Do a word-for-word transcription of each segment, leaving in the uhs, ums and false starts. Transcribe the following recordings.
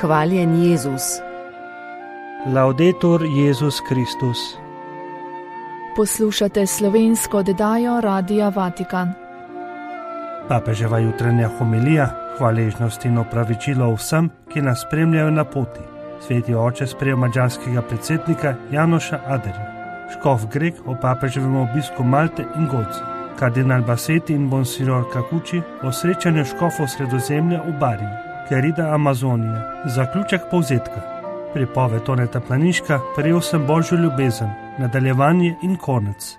Hvaljen Jezus. Laudetur Jezus Kristus. Poslušate slovensko oddajo Radia Vatikan. Papeževa jutranja homilija, hvaležnost in opravičilo vsem, ki nas spremljajo na poti. Sveti oče sprejel madžarskega predsednika Janoša Aderja. Škof Grek o papeževem obisku Malte in Goce. Kardinal Bassetti in Monsignor Cacucci o srečanju škofov Sredozemlja v Bariji. Querida Amazonija. Zaključek povzetka. Pripoved Toneta Planiška, Prejel sem Božjo ljubezen. Nadaljevanje in konec.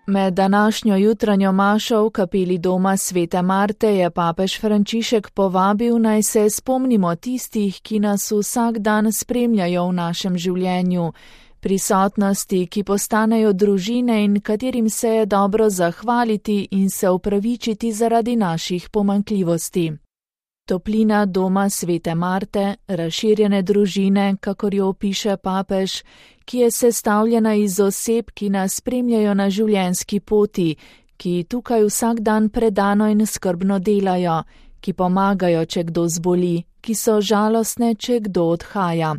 Med današnjo jutranjo mašo v kapeli doma Svete Marte je papež Frančišek povabil, naj se spomnimo tistih, ki nas vsak dan spremljajo v našem življenju. Prisotnosti, ki postanejo družine in katerim se je dobro zahvaliti in se opravičiti zaradi naših pomanjkljivosti. Toplina doma Svete Marte, razširjene družine, kakor jo opiše papež, ki je sestavljena iz oseb, ki nas spremljajo na življenjski poti, ki tukaj vsak dan predano in skrbno delajo, ki pomagajo, če kdo zboli, ki so žalostne, če kdo odhaja.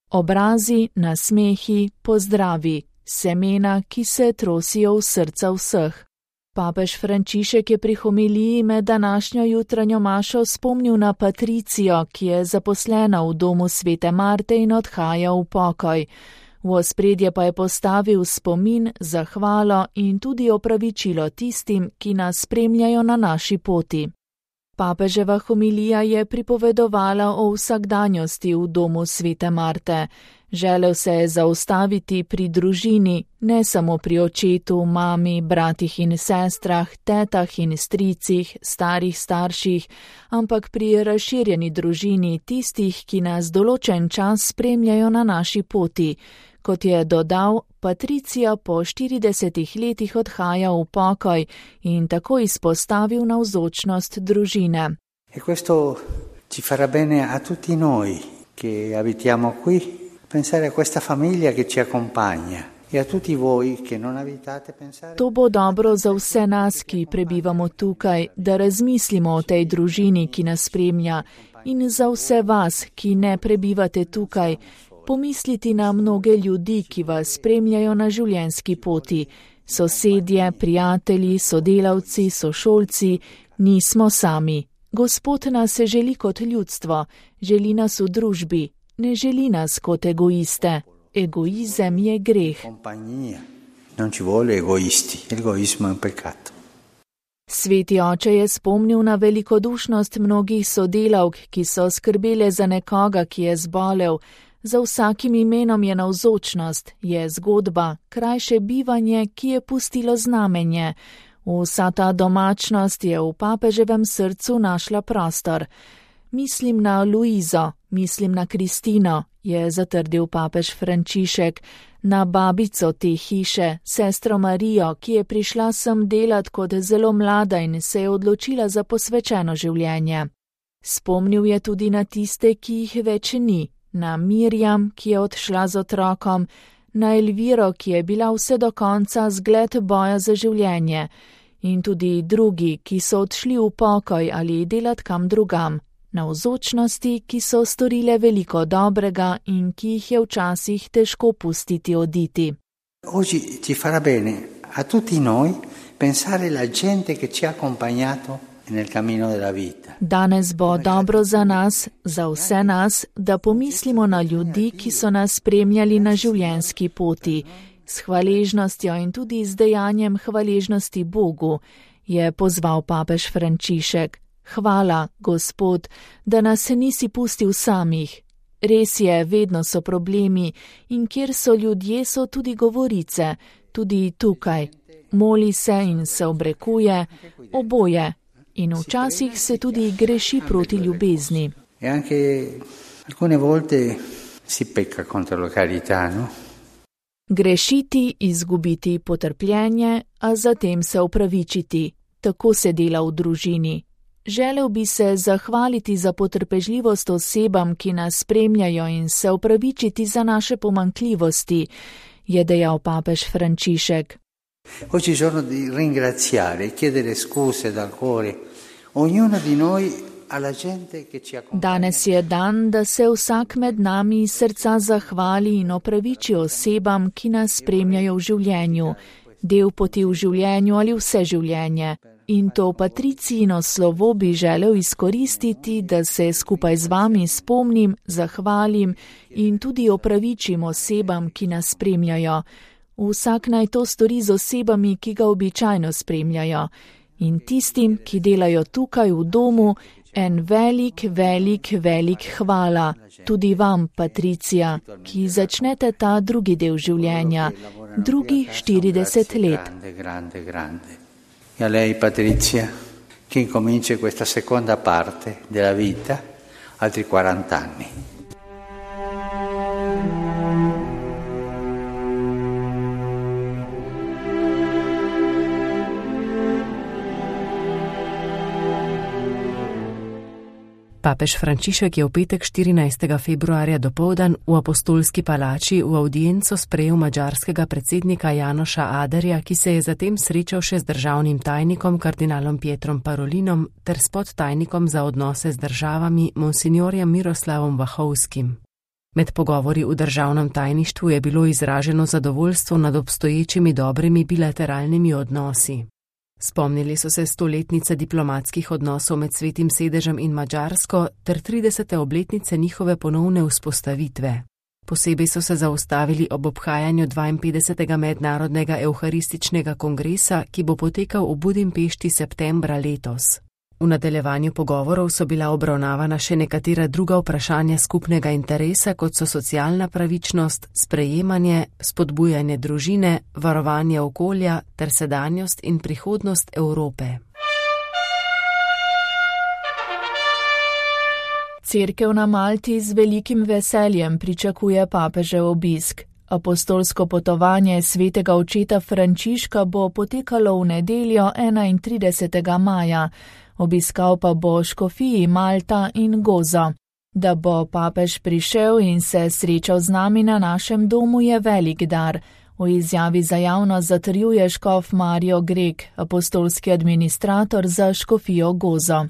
Obrazi, nasmehi, pozdravi, semena, ki se trosijo v srca vseh. Papež Frančišek je pri homiliji med današnjo jutranjo mašo spomnil na Patricijo, ki je zaposlena v domu Svete Marte in odhaja v pokoj. V ospredje pa je postavil spomin, zahvalo in tudi opravičilo tistim, ki nas spremljajo na naši poti. Papeževa homilija je pripovedovala o vsakdanjosti v domu Svete Marte. Želel se je zaustaviti pri družini, ne samo pri očetu, mami, bratih in sestrah, tetah in stricih, starih starših, ampak pri razširjeni družini tistih, ki nas določen čas spremljajo na naši poti. Kot je dodal, Patricija po štiridesetih letih odhaja v pokoj in tako izpostavil navzočnost družine. E questo ci farà bene a tutti noi che abitiamo qui, pensare a questa famiglia che ci accompagna e a tutti voi che non abitate pensare. To bo dobro za vse nas, ki prebivamo tukaj, da razmislimo o tej družini, ki nas spremlja, in za vse vas, ki ne prebivate tukaj. Pomisliti na mnoge ljudi, ki vas spremljajo na življenjski poti. Sosedje, prijatelji, sodelavci, sošolci, nismo sami. Gospod nas želi kot ljudstvo, želi nas v družbi, ne želi nas kot egoiste. Egoizem je greh. Non ci vuole egoisti, egoismo è un peccato. Sveti oče je spomnil na velikodušnost mnogih sodelavk, ki so skrbele za nekoga, ki je zbolel. Za vsakim imenom je navzočnost, je zgodba, krajše bivanje, ki je pustilo znamenje. Vsa ta domačnost je v papeževem srcu našla prostor. Mislim na Luizo, mislim na Kristino, je zatrdil papež Frančišek, na babico te hiše, sestro Marijo, ki je prišla sem delat kot zelo mlada in se je odločila za posvečeno življenje. Spomnil je tudi na tiste, ki jih več ni. Na Mirjam, ki je odšla z otrokom, na Elviro, ki je bila vse do konca zgled boja za življenje, in tudi drugi, ki so odšli v pokoj ali delat kam drugam, navzočnosti, ki so storile veliko dobrega in ki jih je včasih težko pustiti oditi. Oggi ci farà bene a tutti noi pensare la gente che ci ha accompagnato nel cammino della vita. Danes bo dobro za nas, za vse nas, da pomislimo na ljudi, ki so nas spremljali na življenjski poti. S hvaležnostjo in tudi z dejanjem hvaležnosti Bogu, je pozval papež Frančišek. Hvala, Gospod, da nas nisi pustil samih. Res je, vedno so problemi in kjer so ljudje, so tudi govorice, tudi tukaj. Moli se in se obrekuje, oboje. In včasih se tudi greši proti ljubezni. E anche alcune volte si pecca contro la carità, no? Grešiti, izgubiti potrpljenje, a zatem se opravičiti. Tako se dela v družini. Želel bi se zahvaliti za potrpežljivost osebam, ki nas spremljajo, in se opravičiti za naše pomanjkljivosti, je dejal papež Frančišek. Oggi è giorno di ringraziare e chiedere scuse dal cuore ognuno di noi Danes je dan, da se vsak med nami iz srca zahvali in opraviči osebam, ki nas spremljajo v življenju, del poti v življenju ali vse življenje. In to Patricijino slovo bi želel izkoristiti, da se skupaj z vami spomnim, zahvalim in tudi opravičim osebam, ki nas spremljajo. Vsak naj to stori z osebami, ki ga običajno spremljajo. In tistim, ki delajo tukaj v domu, en velik, velik, velik hvala. Tudi vam, Patricija, ki začnete ta drugi del življenja, drugi štirideset let. Grande, grande. E a lei, Patrizia, che incomincia questa seconda parte della vita, altri quaranta anni. Papež Frančišek je v petek štirinajstega februarja dopoldan v Apostolski palači v avdienco sprejel madžarskega predsednika Janoša Aderja, ki se je zatem srečal še z državnim tajnikom kardinalom Pietrom Parolinom ter s podtajnikom za odnose z državami monsignorjem Miroslavom Vahovskim. Med pogovori v državnem tajništvu je bilo izraženo zadovoljstvo nad obstoječimi dobrimi bilateralnimi odnosi. Spomnili so se stoletnice diplomatskih odnosov med Svetim sedežem in Madžarsko ter tridesete obletnice njihove ponovne vzpostavitve. Posebej so se zaustavili ob obhajanju dvainpetdesetega mednarodnega evharističnega kongresa, ki bo potekal v Budimpešti septembra letos. V nadaljevanju pogovorov so bila obravnavana še nekatera druga vprašanja skupnega interesa, kot so socialna pravičnost, sprejemanje, spodbujanje družine, varovanje okolja ter sedanjost in prihodnost Evrope. Cerkev na Malti z velikim veseljem pričakuje papežev obisk. Apostolsko potovanje svetega očeta Frančiška bo potekalo v nedeljo enaintridesetega maja. Obiskal pa bo škofiji Malta in Gozo. Da bo papež prišel in se srečal z nami na našem domu je velik dar. V izjavi za javnost zatrjuje škof Mario Grek, apostolski administrator za škofijo Gozo.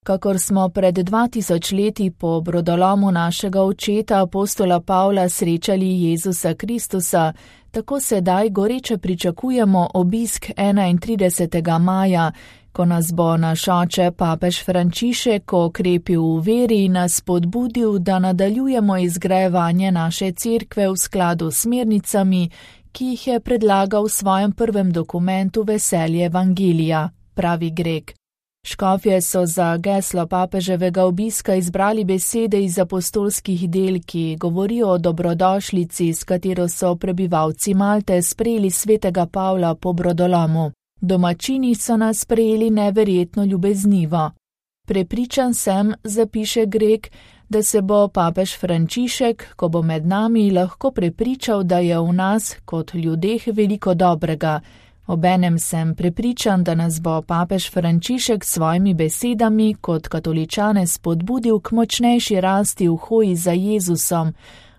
Kakor smo pred dva tisoč leti po brodolomu našega očeta apostola Pavla srečali Jezusa Kristusa, tako sedaj goreče pričakujemo obisk enaintridesetega maja, ko nas bo naš oče papež Frančišek okrepil v veri in nas spodbudil, da nadaljujemo izgrajevanje naše cerkve v skladu s smernicami, ki jih je predlagal v svojem prvem dokumentu Veselje evangelija, pravi Grek. Škofje so za geslo papeževega obiska izbrali besede iz apostolskih del, ki govorijo o dobrodošlici, s katero so prebivalci Malte sprejeli svetega Pavla po brodolomu. Domačini so nas sprejeli neverjetno ljubeznivo. Prepričan sem, zapiše Grek, da se bo papež Frančišek, ko bo med nami, lahko prepričal, da je v nas, kot ljudeh, veliko dobrega. Obenem sem prepričan, da nas bo papež Frančišek s svojimi besedami kot katoličane spodbudil k močnejši rasti v hoji za Jezusom,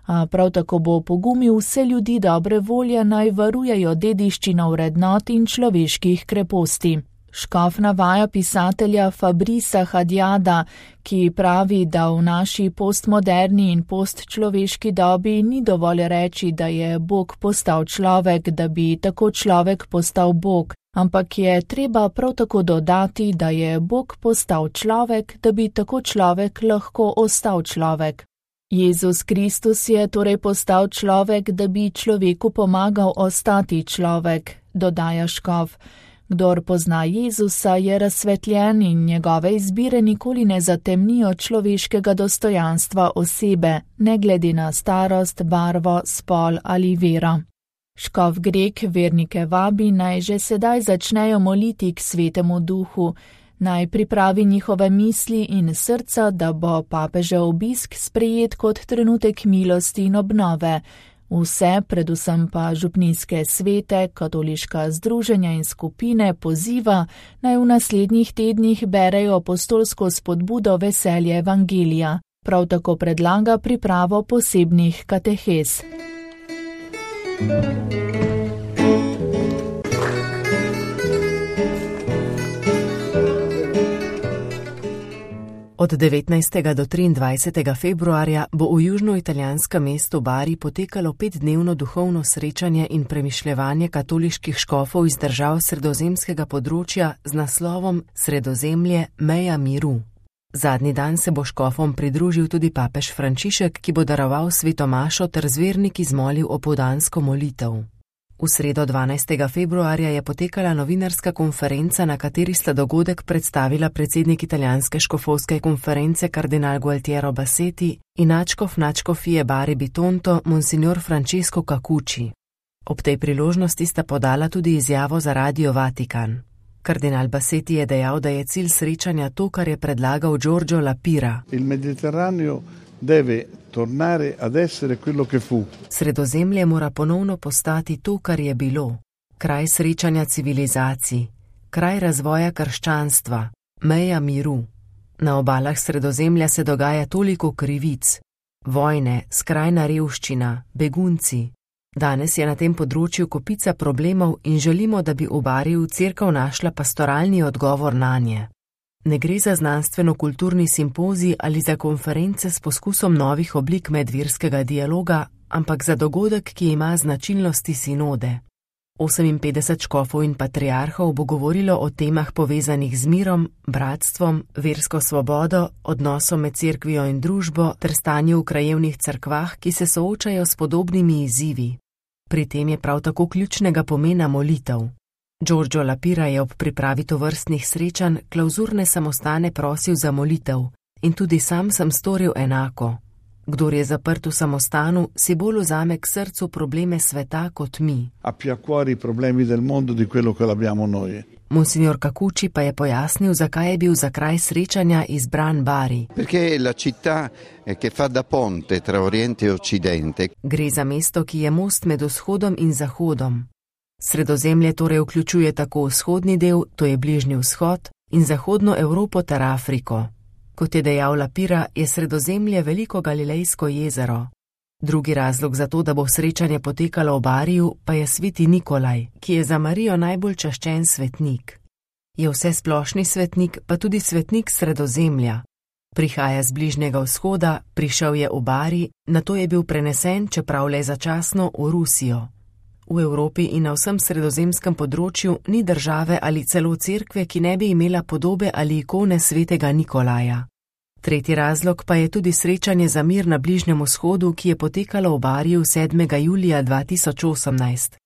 a prav tako bo pogumil vse ljudi dobre volje naj varujejo dediščino vrednot in človeških kreposti. Škof navaja pisatelja Fabrisa Hadjada, ki pravi, da v naši postmoderni in postčloveški dobi ni dovolj reči, da je Bog postal človek, da bi tako človek postal Bog, ampak je treba prav tako dodati, da je Bog postal človek, da bi tako človek lahko ostal človek. Jezus Kristus je torej postal človek, da bi človeku pomagal ostati človek, dodaja škof. Kdor pozna Jezusa, je razsvetljen in njegove izbire nikoli ne zatemnijo človeškega dostojanstva osebe, ne glede na starost, barvo, spol ali vero. Škof Grek vernike vabi, naj že sedaj začnejo moliti k Svetemu Duhu, naj pripravi njihove misli in srca, da bo papežev obisk sprejet kot trenutek milosti in obnove. Vse, predvsem pa župnijske svete, katoliška združenja in skupine poziva, naj v naslednjih tednih berejo apostolsko spodbudo Veselje evangelija. Prav tako predlaga pripravo posebnih katehez. Od devetnajstega do triindvajsetega februarja bo v južnoitalijanskem mestu Bari potekalo petdnevno duhovno srečanje in premišljevanje katoliških škofov iz držav sredozemskega področja z naslovom Sredozemlje meja miru. Zadnji dan se bo škofom pridružil tudi papež Frančišek, ki bo daroval sveto mašo ter z verniki zmolil opoldansko molitev. V sredo dvanajstega februarja je potekala novinarska konferenca, na kateri sta dogodek predstavila predsednik italijanske škofovske konference kardinal Gualtiero Bassetti in nadškof nadškofije Bari Bitonto monsignor Francesco Cacucci. Ob tej priložnosti sta podala tudi izjavo za Radio Vatikan. Kardinal Bassetti je dejal, da je cilj srečanja to, kar je predlagal Giorgio La Pira. Il Mediterraneo deve tornare ad essere quello che fu. Sredozemlje mora ponovno postati to, kar je bilo. Kraj srečanja civilizacij, kraj razvoja krščanstva, meja miru. Na obalah Sredozemlja se dogaja toliko krivic, vojne, skrajna revščina, begunci. Danes je na tem področju kopica problemov in želimo, da bi v Bari v cerkev našla pastoralni odgovor nanje. Ne gre za znanstveno-kulturni simpozij ali za konference s poskusom novih oblik medverskega dialoga, ampak za dogodek, ki ima značilnosti sinode. oseminpetdeset škofov in patriarhov bo govorilo o temah povezanih z mirom, bratstvom, versko svobodo, odnosom med cerkvijo in družbo ter stanju v krajevnih cerkvah, ki se soočajo s podobnimi izzivi. Pri tem je prav tako ključnega pomena molitev. Giorgio La Pira je ob pripravi tovrstnih srečanj klavzurne samostane prosil za molitev in tudi sam sem storil enako. Kdor je zaprt v samostanu, si bolj vzame k srcu probleme sveta kot mi. Ha più a cuore i problemi del mondo di quello che l'abbiamo noi. Monsignor Cacucci pa je pojasnil, zakaj je bil za kraj srečanja izbran Bari. Perché la città che fa da ponte tra Oriente e Occidente. Gre za mesto, ki je most med vzhodom in zahodom. Sredozemlje torej vključuje tako vzhodni del, to je Bližnji vzhod, in zahodno Evropo ter Afriko. Kot je dejal La Pira, je Sredozemlje veliko Galilejsko jezero. Drugi razlog za to, da bo srečanje potekalo v Bariju, pa je sveti Nikolaj, ki je za Marijo najbolj čaščen svetnik. Je vse splošni svetnik, pa tudi svetnik Sredozemlja. Prihaja z Bližnjega vzhoda, prišel je v Bari, nato je bil prenesen, čeprav le začasno, v Rusijo. V Evropi in na vsem sredozemskem področju ni države ali celo cerkve, ki ne bi imela podobe ali ikone svetega Nikolaja. Tretji razlog pa je tudi srečanje za mir na Bližnjem vzhodu, ki je potekalo v Bariju sedmega julija dva tisoč osemnajst.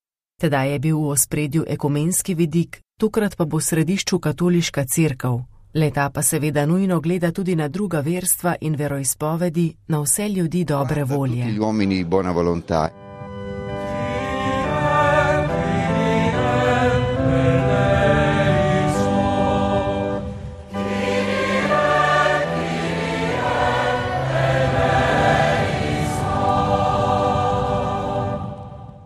Tedaj je bil v ospredju ekumenski vidik, tokrat pa bo v središču katoliška cerkev. Leta pa seveda nujno gleda tudi na druga verstva in veroizpovedi, na vse ljudi dobre volje.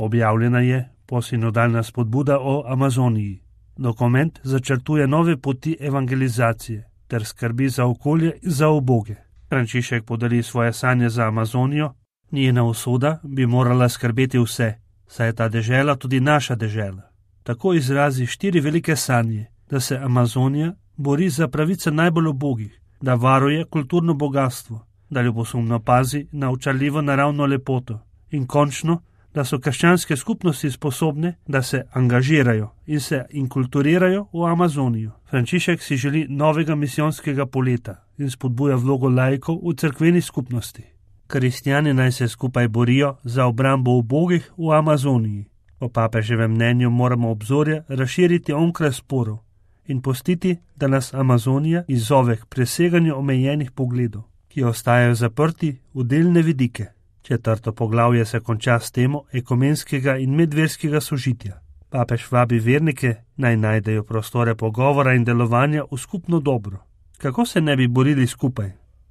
Objavljena je posinodalna spodbuda o Amazoniji. Dokument začrtuje nove poti evangelizacije ter skrbi za okolje in za uboge. Frančišek podeli svoje sanje za Amazonijo, njena usoda bi morala skrbeti vse, saj je ta dežela tudi naša dežela. Tako izrazi štiri velike sanje, da se Amazonija bori za pravice najbolj ubogih, da varuje kulturno bogatstvo, da ljubosumno pazi na očarljivo naravno lepoto in končno, da so krščanske skupnosti sposobne, da se angažirajo in se inkulturirajo v Amazonijo. Frančišek si želi novega misijonskega poleta in spodbuja vlogo laikov v cerkveni skupnosti. Kristjani naj se skupaj borijo za obrambo ubogih v Amazoniji. Po papeževem mnenju moramo obzorje razširiti onkraj sporov in pustiti, da nas Amazonija izzove k preseganju omejenih pogledov, ki ostajajo zaprti v delne vidike. Četrto poglavje se konča s temo ekumenskega in medverskega sožitja. Papež vabi vernike, naj najdejo prostore pogovora in delovanja v skupno dobro. Kako se ne bi borili skupaj,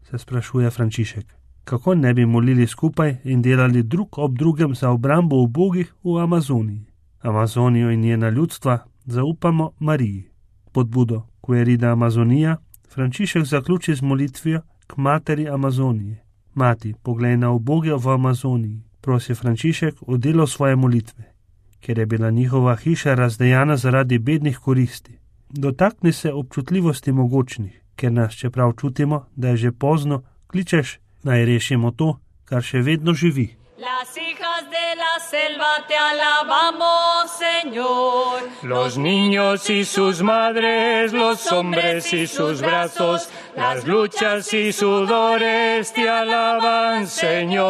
se sprašuje Frančišek. Kako ne bi molili skupaj in delali drug ob drugem za obrambo ubogih v Amazoniji. Amazonijo in njena ljudstva zaupamo Mariji. Podbudo Querida Amazonija Frančišek zaključi z molitvijo k materi Amazonije. Mati, poglej na uboge v Amazoniji, prosi Frančišek o delo svoje molitve, ker je bila njihova hiša razdejana zaradi bednih koristi. Dotakni se občutljivosti mogočnih, ker nas, čeprav čutimo, da je že pozno, kličeš, naj rešimo to, kar še vedno živi. Las hijas de la selva te alabamos, Señor. Los niños y sus madres, los hombres y sus brazos, las luchas y sudores te alaban, Señor.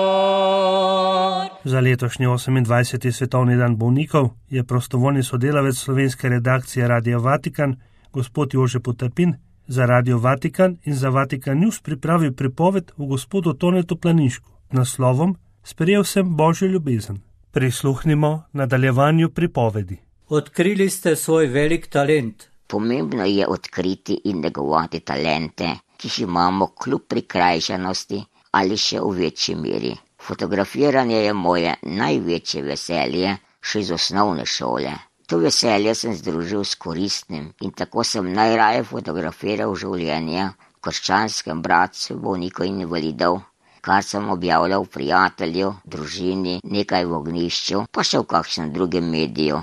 Za letošnji osemindvajseti svetovni dan bolnikov je prostovoljni sodelavec slovenske redakcije Radia Vatikan, gospod Jože Potrpin, za Radio Vatikan in za Vatikan News pripravil pripoved o gospodu Tonetu Planinšku z naslovom Sprejel sem Božjo ljubezen. Prisluhnimo nadaljevanju pripovedi. Odkrili ste svoj velik talent. Pomembno je odkriti in negovati talente, ki jih imamo kljub prikrajšanosti ali še v večji meri. Fotografiranje je moje največje veselje še iz osnovne šole. To veselje sem združil s koristnim in tako sem najraje fotografiral življenje krščanskem bratstvu bolnikov in invalidov, kar sem objavljal prijatelju, družini, nekaj v ognjišču, pa še v kakšnem drugem mediju.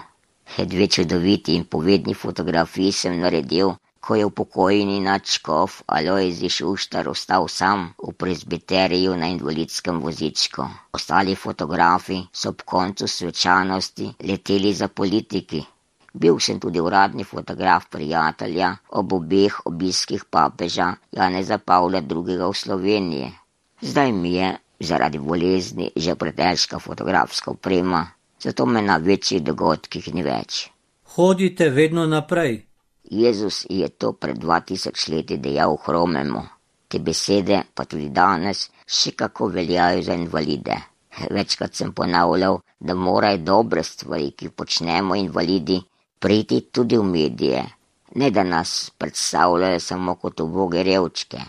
Dve čudoviti in povedni fotografiji sem naredil, ko je upokojeni nadškof Alojzij Šuštar ostal sam v prezbiteriju na invalidskem vozičku. Ostali fotografi so ob koncu svečanosti leteli za politiki. Bil sem tudi uradni fotograf prijatelja ob obeh obiskih papeža Janeza Pavla drugega v Sloveniji. Zdaj mi je zaradi bolezni že pretežka fotografska oprema, zato me na večjih dogodkih ni več. Hodite vedno naprej. Jezus je to pred dva tisoč leti dejal hromemu. Te besede pa tudi danes še kako veljajo za invalide. Večkrat sem ponavljal, da morajo dobre stvari, ki počnemo invalidi, priti tudi v medije, ne da nas predstavljajo samo kot uboge revčke.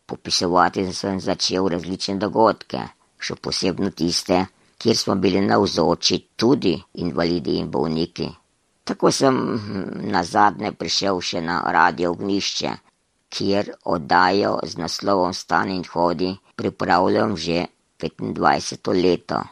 Popisovati sem začel različne dogodke, še posebno tiste, kjer smo bili navzoči tudi invalidi in bolniki. Tako sem nazadnje prišel še na Radio Ognjišče, kjer oddajo z naslovom Stani in hodi pripravljam že petindvajseto leto.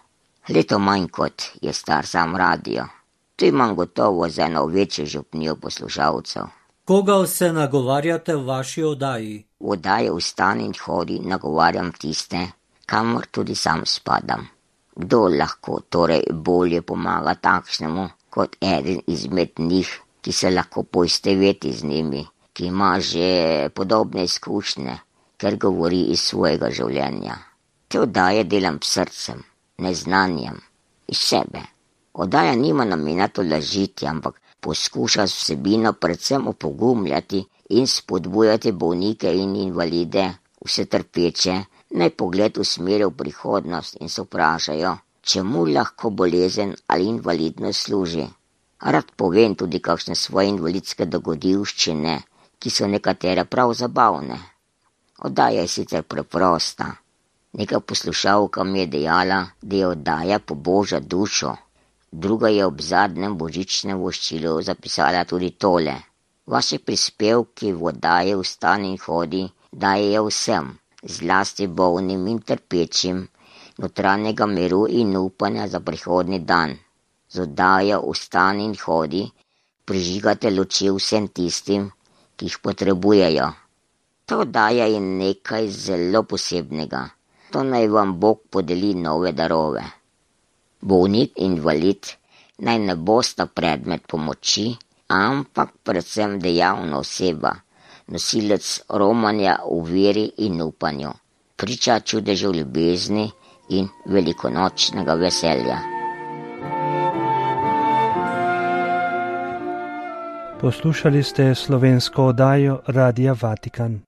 Leto manj kot je star sam radio. Tu imam gotovo za eno večjo župnijo poslušalcev. Koga vse nagovarjate v vaši oddaji? V oddaji Vstani in hodi nagovarjam tiste, kamor tudi sam spadam. Kdo lahko torej bolje pomaga takšnemu, kot eden izmed njih, ki se lahko poistoveti z njimi, ki ima že podobne izkušnje, ker govori iz svojega življenja. Te oddaje delam s srcem, neznanjem, iz sebe. Oddaja nima namena tolažiti, ampak poskuša s vsebino predvsem opogumljati in spodbujati bolnike in invalide, vse trpeče, naj pogled usmeri v prihodnost in se vprašajo, čemu lahko bolezen ali invalidnost služi. Rad povem tudi kakšne svoje invalidske dogodivščine, ki so nekatere prav zabavne. Oddaja je sicer preprosta. Neka poslušalka mi je dejala, da je oddaja poboža dušo. Druga je ob zadnjem božičnem voščilu zapisala tudi tole. Vaši prispevki v oddaji Vstani in hodi dajejo vsem, zlasti bolnim in trpečim, notranjega miru in upanja za prihodnji dan. Z oddajo Vstani in hodi prižigate luči vsem tistim, ki jih potrebujejo. Ta oddaja je nekaj zelo posebnega. To naj vam Bog podeli nove darove. Bolnik in invalid naj ne bosta predmet pomoči, ampak predvsem dejavna oseba, nosilec romanja v veri in upanju, priča čudežev ljubezni in velikonočnega veselja. Poslušali ste slovensko oddajo Radia Vatikan.